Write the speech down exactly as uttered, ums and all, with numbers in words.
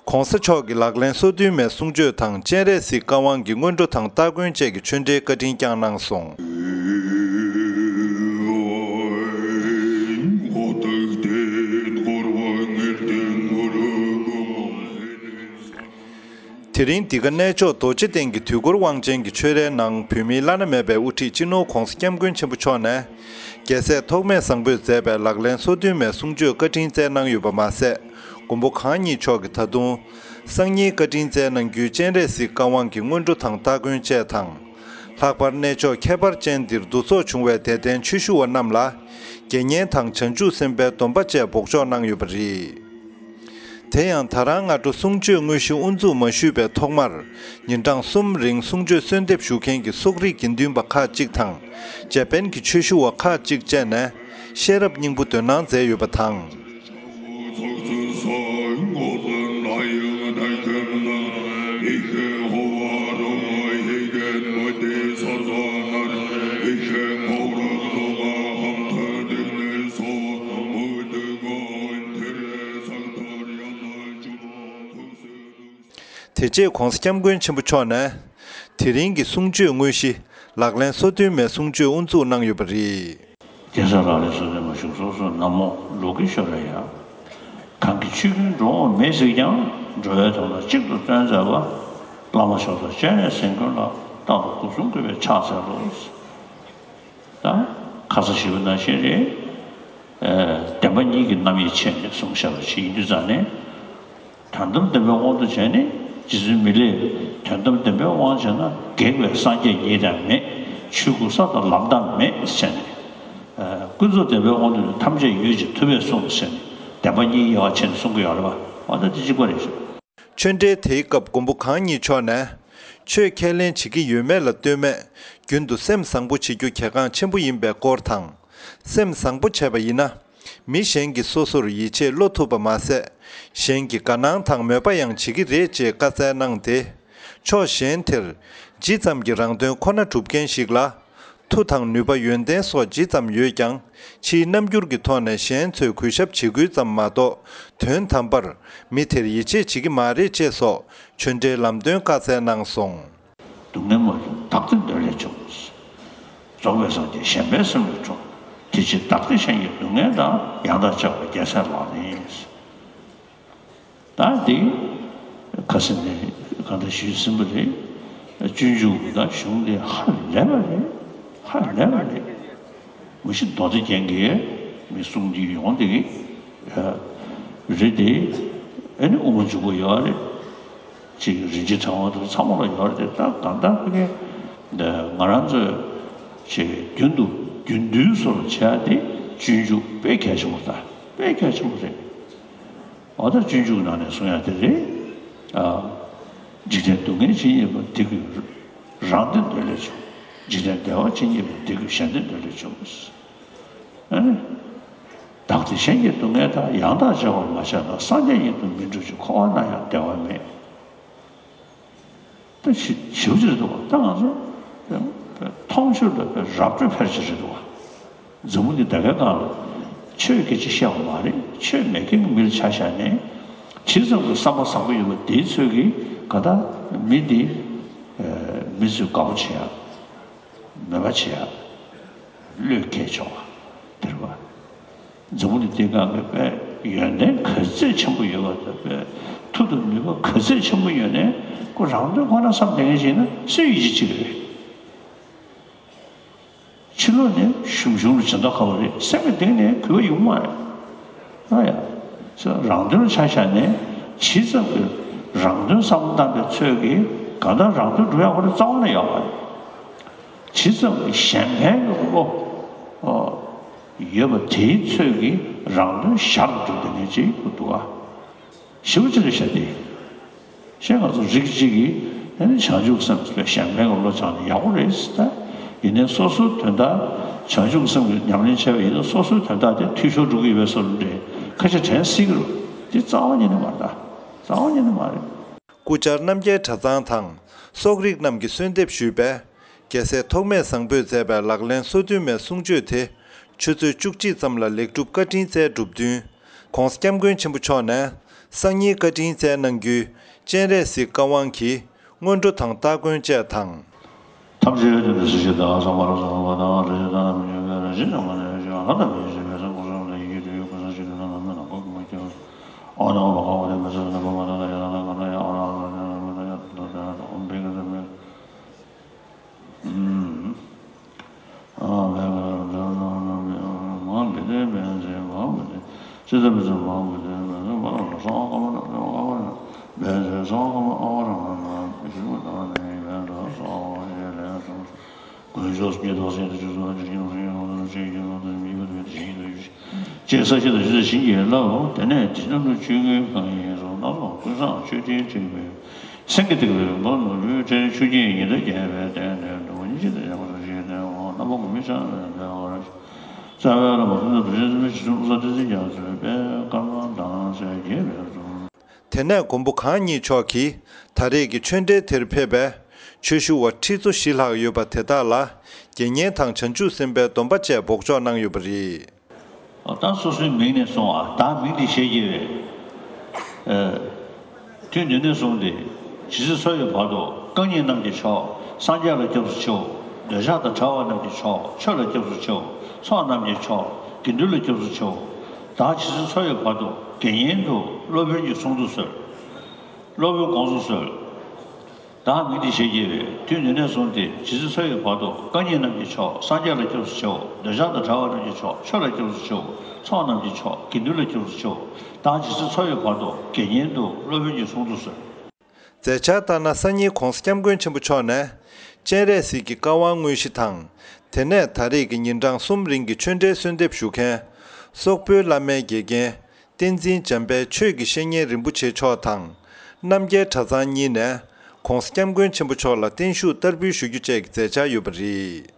༸གོང་ས་མཆོག་གི་ལག་ལེན་སོ་བདུན་མའི་གསུང་ཆོས་དང་སྤྱན་རས་གཟིགས་བཀའ་དབང་གི་སྔོན་འགྲོ་དང་སྟ་གོན་བཅས་ཀྱི་ཆོས་འབྲེལ་བཀའ་དྲིན་བསྐྱངས་གནང་སོང་། དེ་རིང་འདི་ག་གནས་མཆོག་རྡོ་རྗེ་གདན་གྱི་དུས་འཁོར་དབང་ཆེན་གྱི་ཆོས་རའི་ནང་བོད་མིའི་བླ་ན་མེད་པའི་དབུ་ཁྲིད་སྤྱི་ནོར་༸གོང་ས་༸སྐྱབས་མགོན་ཆེན་པོ་མཆོག་ནས། རྒྱལ་སྲས་ཐོགས་མེད་བཟང་པོས་མཛད་པའི་ལག་ལེན་སོ་བདུན་མའི་གསུང་ཆོས་བཀའ་དྲིན་སྩལ་གནང་ཡོད་པ་མ་ཟད། མགོན་པོ་གང་ཉིད་མཆོག་གིས་ད་དུང་། སང་ཉིན་བཀའ་དྲིན་སྩལ་གནང་རྒྱུའི་སྤྱན་རས་གཟིགས་བཀའ་དབང་གི་སྔོན་འགྲོ་དང་སྟ་གོན་བཅས་དང་། ལྷག་པར་གནས་མཆོག་ཁྱད་པར་ཅན་འདིར་འདུ་ཚོགས་བྱུང་བའི་དད་ལྡན་ཆོས་ཞུ་བ་རྣམས་ལ། དགེ་བསྙེན་དང་བྱང་ཆུབ་སེམས་དཔའི་སྡོམ་པ་བཅས་འབོགས་ཆོག་གནང་ཡོད་པ་རེད། དེ་ཡང་ད་རང་སྔ་དྲོ་གསུང་ཆོས་དངོས་གཞི་དབུ་འཛུགས་མ་ཞུས་པའི་ཐོག་མར། ཉིན་གྲངས་གསུམ་རིང་གསུང་ཆོས་གསོལ་འདེབས་ཞུ་མཁན་གྱི་སོག་རིགས་དགེ་འདུན་པ་ཁག་ཅིག་དང་། ཇེ་པན་གྱི་ཆོས་ཞུ་བ་ཁག་ཅིག་བཅས་ནས། ཤེས་རབ་སྙིང་པོ་འདོན་གནང་མཛད་ཡོད་པ་དང་། དེ་རྗེས་༸གོང་ས་༸སྐྱབས་མགོན་ཆེན་པོ་མཆོག་ནས། དེ་རིང་གི་གསུང་ཆོས་དངོས་གཞི། ལག་ལེན་སོ་བདུན་མའི་གསུང་ཆོས་དབུ་འཛུགས་གནང་ཡོད་པ་རེད། རྒྱལ་སྲས་ལག་ལེན་སོ་བདུན་མ་བཞུགས་སོ་སོ་ན་མོ་ལོ་ཀེ་ཤྭ་ར་ཡ། གང་གི་ཆོས་ཀུན་འགྲོ་འོང་མེད་གཟིགས་ཀྱང་། འགྲོ་བའི་དོན་ལ་གཅིག་ཏུ་བརྩོན་མཛད་པ། བླ་མ་མཆོག་དང་སྤྱན་རས་གཟིགས་མགོན་ལ། རྟག་ཏུ་སྒོ་གསུམ་གུས་པས་ཕྱག་འཚལ་ལོ། ད་ཁ་ས་ཞུ་བ་ནང་བཞིན་རེད། ཨ་བདེན་པ་གཉིས་ཀྱི་རྣམ་དབྱེ་ཕྱེ་ནས་གསུངས་བཞག་པ་ཞིག་ཡིན་དུས་ཙང་ནས། དོན་དམ་བདེན་པའི་དབང་དུ་བྱས་ནས་རྗེ་བཙུན་མི་ལས་དོན་དམ་བདེན་པའི་དབང་བྱས་ན་སྒེག་པའི་སངས་རྒྱས་ཉིད་དང་མེད། ཆོས་སྐུ་ས་དང་ལམ་དང་མེད་ཟེར་ནས། ཨ་ཀུན་རྫོབ་བདེན་པའི་དབང་དུ་ཐམས་ཅད་ཡོད་ཅེས་ཐུབ་པས་གསུངས་ཟེར་ནས་བདེན་པ་གཉིས་དབྱེ་བ་ཕྱེ་ནས་གསུང་གི་ཡོད་རེད་པ། འོ་ད་དེ་གཅིག་པ་རེད་ཤག་ཆོས་འབྲེལ་དེའི་སྐབས་མགོན་པོ་གང་ཉིད་མཆོག་ནས། ཆོས་ཁས་ལེན་བྱེད་ཀྱི་ཡོད་མེད་ལ་ལྟོས་མེད། རྒྱུན་དུ་སེམས་བཟང་པོ་བྱེད་རྒྱུ་གལ་འགངས་ཆེན་པོ་ཡིན་པའི་སྐོར་དང་། སེམས་བཟང་པོ་བྱས་པ་ཡིན་ན། མི་གཞན་གྱིས་སོ་སོར་ཡིད་ཆེས་བློ་ཐུབ་པ་མ་ཟད། གཞན་གྱི་དགའ་སྣང་དང་མོས་པ་ཡང་བྱེད་ཀྱི་རེད་ཅེས་བཀའ་སྩལ་གནང་སྟེ། ཕྱོགས་གཞན་དེར། ཇི་ཙམ་གྱིས་རང་དོན་ཁོ་ན་སྒྲུབ་མཁན་ཞིག་ལ། མཐུ་དང་ནུས་པ་ཡོན་ཏན་སོགས་ཇི་ཙམ་ཡོད་ཀྱང་། ཕྱིའི་རྣམ་འགྱུར་གྱི་ཐོག་ནས་གཞན་ཚོས་གུས་ཞབས་བྱེད་ཁུལ་ཙམ་མ་གཏོགས། དོན་དམ་པར་མི་དེར་ཡིད་ཆེས་བྱེད་ཀྱི་མ་རེད་ཅེས་སོགས་ཆོས་འབྲེལ་ལམ་སྟོན་བཀའ་སྩལ་གནང་སོང་། སྡུག་བསྔལ་མ་བྱུང་བདག་ལྟའི་འདོད་ལས་བྱུང་། རྫོགས་པའི་སངས་རྒྱས་གཞན་ཕན་སེམས་ལས་འཁྲུངས། དེ་ཕྱིར་བདག་ལྟ་གཞན་གྱི་སྡུག་བསྔལ་དང་། ཡང་དག་བྱ་བ་རྒྱལ་སྲས་ལག་ལེན་ཡིན། ད་འདི་ཁ་སང་ནས་གང་ལྟར་ཞུས་ཟིན་པ་རེད། སྤྱོད་འཇུག་དང་གཞུང་འདི་ཧ་ལས་པ་རེད། ཧ་ལས་པ་རེད། མ་གཞི་མདོ་སྡེ་རྒྱན་གྱི་མི་གསུང་རྒྱུ་ཡོང་དེ་གི་རེད་དེ། ཨ་ནི་དབུ་མ་འཇུག་པ་ཡོད་རེད། ཅིག་རིན་ཆེན་ཕྲེང་བ་དང་ཚང་མ་ལ་ཡོད་རེད་དེ། ད་གང་ལྟར་ཕ་གི་ང་རང་ཚོས་ཅིག་རྒྱུན་དུ་རྒྱུན་དུ་བཟོ་བྱ་དེ་སྤྱོད་འཇུག་དཔེ་གལ་ཆེན་པོ། ད་དཔེ་གལ་ཆེན་པོ་རེད། འོ་ད་སྤྱོད་འཇུག་ནང་ནས་གསུང་ཡ་དེ་རེད། ཨ། འཇིག་རྟེན་སྡུག་བསྔལ་ཇི་སྙེད་པ། དེ་ཀུན་རང་དོན་འདོད་ལས་བྱུང་། འཇིག་རྟེན་བདེ་བ་ཇི་སྙེད་པ། དེ་ཀུན་གཞན་དོན་འདོད་ལས་བྱུང་། ཨ་ནི། བདག་ལྟ་གཞན་གྱི་སྡུག་བསྔལ་དང་། ཡང་དག་བྱ་བ་མ་བྱས་ན། སངས་རྒྱས་ཉིད་དུ་མི་འགྲུབ་ཅིང་། འཁོར་བ་ན་ཡང་བདེ་བ་མེད། ད་ཞི་ཞིབ་ཅིག་རེད་འདུག་བ། ད་ང་ཚོ་མཐོང་ཆོས་ལ་རབ་སྤྲོས་འཕེར་ཅིག་རེད་འདུག་བ། འཛམ་བུ་གླིང་ད་གའི་སྒང་ལ་ཆོས་སྐད་ཆ་བཤད་པ་མ་རེད། ཆོས་མེད་མཁན་གྱི་མི་ལ་ཆ་བཞག་ནས་ཇི་ཙམ་གྱི་བསམ་པ་བཟང་པོ་ཡོད་པ་དེའི་ཚོད་ཀྱིས་ག་ད་མི་འདི་མི་ཚོས་དགའ་པོ་བྱེད་ཡ། མོས་པ་བྱེད་ཡ། བློས་འགེལ་ཆོག་པ་དེ་རེད་བ། འཛམ་བུ་གླིང་འདིའི་སྒང་གི་དཔེ་ཡོན་ཏན་ག་ཚོད་ཆེན་པོ་ཡོད་པ་དང་། དཔེ་མཐུ་དང་ནུས་པ་ག་ཚོད་ཆེན་པོ་ཡོད་ནའི་ཁོ་རང་དོན་ཁོ་ན་བསམ་བསྡད་མཁན་ཞིག་ན་སུས་ཡིད་ཆེས་བྱེད་ཀྱི་རེད། ཕྱི་ལོགས་ནས་ཞུམ་ཞུམ་ལ་སྦྱིན་བདག་ག་བ་རེད། སེམས་ཀྱི་གཏིང་ནས་གུས་པ་ཡོང་མ་རེད། ཨ་ཡ། རང་དོན་ཆ་བཞག་ནས་ཇི་ཙམ་གྱི་རང་དོན་བསམ་བློ་བཏང་པའི་ཚོད་ཀྱིས་གང་ལྟར་རང་དོན་སྒྲུབ་ཡག་ཁོ་རང་རྩ་བ་ནས་ཡོད་མ་རེད། ཇི་ཙམ་གྱི་གཞན་ཕན་གྱི་བློ་ཡོད་པ་དེའི་ཚོད་ཀྱིས་རང་དོན་ཞར་དུ་འགྲུབ་བསྡད་མཁན་ཅིག་འདུག་ག་ཞེ་པོ་ཅིག་རེད་ཤག་དེ། ཞེས་ང་ཚོ་རིགས་གཅིག་གིས་ཨ་ནི་བྱང་ཆུབ་སེམས་ལ་གཞན་ཕན་གྱི་བློ་སྦྱངས་ནས་ཡག་པོ་རེད་ཟེར། ད་ཡིན་ནའི་སོ་སོའི་དོན་དག་བྱང་ཆུབ་སེམས་ཀྱི་ཉམས་ལེན་བྱས་པ་ཡིན་ན་སོ་སོའི་དོན་དག་དེ་འཐུས་ཤོར་འགྲོ་གི་ཡོད་པའི་བཟོ་འདྲ་འདྲ་ཁ་ཤས་དྲན་སྲིད་ཀྱི་རེད། དེ་རྩ་བ་ཉིད་ནས་མ་རེད། ད་རྩ་བ་ཉིད་ནས་མ་རེད། སྐུ་བཅར་རྣམ་རྒྱལ་གྲྭ་ཚང་དང་སོག་རིགས་རྣམས་ཀྱིས་གསོལ་འདེབས་ཞུས་པས། རྒྱལ་སྲས་ཐོགས་མེད་བཟང་པོས་མཛད་པའི་ལག་ལེན་སོ་བདུན་མའི་གསུང་ཆོས་དེ། ཆུ་ཚོད་བཅུ་གཅིག་ཙམ་ལ་ལེགས་གྲུབ་བཀའ་དྲིན་སྩལ་གྲུབ་བསྟུན། ༸གོང་ས་༸སྐྱབས་མགོན་ཆེན་པོ་མཆོག་ནས། སང་ཉིན་བཀའ་དྲིན་སྩལ་གནང་རྒྱུའི་སྤྱན་རས་གཟིགས་བཀའ་དབང་གི་སྔོན་འགྲོ་དང་སྟ་གོན་བཅས་དང་། ཐམས་ཅད་དོན་དུ་གཟིགས་ཤིག་དང་། སོགས་པ་རབ་གསལ་བ་དང་། རིགས་དང་མི་འགྱུར་བའི་རང་བཞིན་གྱིས་མ་ནས་ཤེས་པ་ལྷག་ཏུ་མི་འཇིགས་པའི་སེམས་ཀུན་བཟང་དེ་ཡི་རྒྱུད་དུ་ཡོད། ཀུན་བཟང་ཞིག་ཏུ་ན་ནམ་མེད་ན་གོ་གི་མ་ཁྱབ། ཨོ་ནམ་པ་ཁ་བ་དེ་མི་ཚེ་ན་པ་མ་ན་ན་ཡ་ན་ན་ག་ན་ཡ་ཨོ་ན་ན་ན་ན་ཡ་ཏ་ཏ་ཏ་ཨོམ་བྷེ་ག་ས་མེ། ཅེས་ས་གཞི་དང་ཆུ་ས་བྱིན་གྱིས་བརླབས། དེ་ནས་དེ་ནང་དུ་ཆོས་གོས་གང་ཡིན་སོགས་སྣ་ཚོགས་ཀུན་བཟང་མཆོད་སྤྲིན་འཁྲིགས་པའི། སེང་གེ་སྟེགས་བུའི་སྒོ་ནོར་བུའི་གྲལ་ཆུ་སྐྱེས་ཉི་ཟླ་རྒྱས་པའི་སྟེང་ནས། འགྲོ་བ་སྙིང་རྗེ་དང་ཡང་དག་ཞིང་བརྟན་འོང་། རྣམ་པ་མི་བྱང་བའི་བདེ་བར་གཤེགས། རྩ་བའི་བླ་མ་ཀུན་བཟང་རྡོ་རྗེ་འཛིན་པའི་རྗེ་བཙུན་ཀུན་བཟང་ཁྲི་སྲོང་རྒྱ་མཚོའི་དཔལ་དཀར་དམར་དྭངས་གསལ་རྒྱས་པའི་གཟུངས། དེ་ནས་མགོན་པོ་གང་ཉིད་མཆོག་གིས་ད་རེས་ཀྱི་ཆོས་འབྲེལ་དེར་ཕེབས་པའི་ཆོས་ཞུ་བ་ཁྲི་ཚོ་བཞི་ལྷག་ཡོད་པ་དེ་དག་ལ་དགེ་བསྙེན་དང་བྱང་ཆུབ་སེམས་དཔའི་སྡོམ་པ་བཅས་འབོགས་ཆོག་གནང་ཡོད་པ་རེད། ད་སོ་སོའི་མིང་ནས་གསུངས་པ། བདག་མིང་འདི་ཞེས་བགྱི་བས། དུས་འདི་ནས་བཟུང་སྟེ་ཇི་སྲིད་འཚོ་བའི་བར་དུ། རྐང་གཉིས་རྣམས་ཀྱི་མཆོག་སངས་རྒྱས་ལ་སྐྱབས་སུ་མཆིའོ། འདོད་ཆགས་དང་བྲལ་བ་རྣམས་ཀྱི་མཆོག་ཆོས་ལ་སྐྱབས་སུ་མཆིའོ། ཚོགས་རྣམས་ཀྱི་མཆོག་དགེ་འདུན་ལ་སྐྱབས་སུ་མཆིའོ། བདག་ཇི་སྲིད་འཚོ་བའི་བར་དུ་དགེ་བསྙེན་དུ་སློབ་དཔོན་གྱི་གསུང་དུ་གསོལ། སློབ་དཔོན་དགོངས་སུ་གསོལ། བདག་མིང་འདི་ཞེས་བགྱི་བས། དུས་འདི་ནས་བཟུང་སྟེ་ཇི་སྲིད་འཚོ་བའི་བར་དུ། རྐང་གཉིས་རྣམས་ཀྱི་མཆོག་སངས་རྒྱས་ལ་སྐྱབས་སུ་མཆིའོ། འདོད་ཆགས་དང་བྲལ་བ་རྣམས་ཀྱི་མཆོག་ཆོས་ལ་སྐྱབས་སུ་མཆིའོ། ཚོགས་རྣམས་ཀྱི་མཆོག་དགེ་འདུན་ལ་སྐྱབས་སུ་མཆིའོ། བདག་ཇི་སྲིད་འཚོ་བའི་བར་དུ་དགེ་བསྙེན་དུ་སློབ་དཔོན་གྱི་གསུང་དུ་གསོལ། མཛད་འཆར་ལྟར་ན། སང་ཉིན་༸གོང་ས་༸སྐྱབས་མགོན་ཆེན་པོ་མཆོག་ནས་སྤྱན་རས་གཟིགས་ཀྱི་བཀའ་དབང་དངོས་གཞི་དང་། དེ་ནས་ད་རེས་ཀྱི་ཉིན་གྲངས་གསུམ་རིང་གི་ཆོས་འབྲེལ་གསོལ་འདེབས་ཞུ་མཁན་སོག་པོའི་བླ་མའི་དགེ་རྒན་བསྟན་འཛིན་འཇམ་དཔལ་ཆོས་ཀྱི་བཤེས་གཉེན་རིན་པོ་ཆེ་མཆོག་དང་། རྣམ་རྒྱལ་གྲྭ་ཚང་གཉིས་ནས་༸གོང་ས་༸སྐྱབས་མགོན་ཆེན་པོ་མཆོག་ལ་བརྟན་བཞུགས་བསྟར་འབུལ་ཞུ་རྒྱུ་བཅས་ཀྱི་མཛད་འཆར་ཡོད་པ་རེད།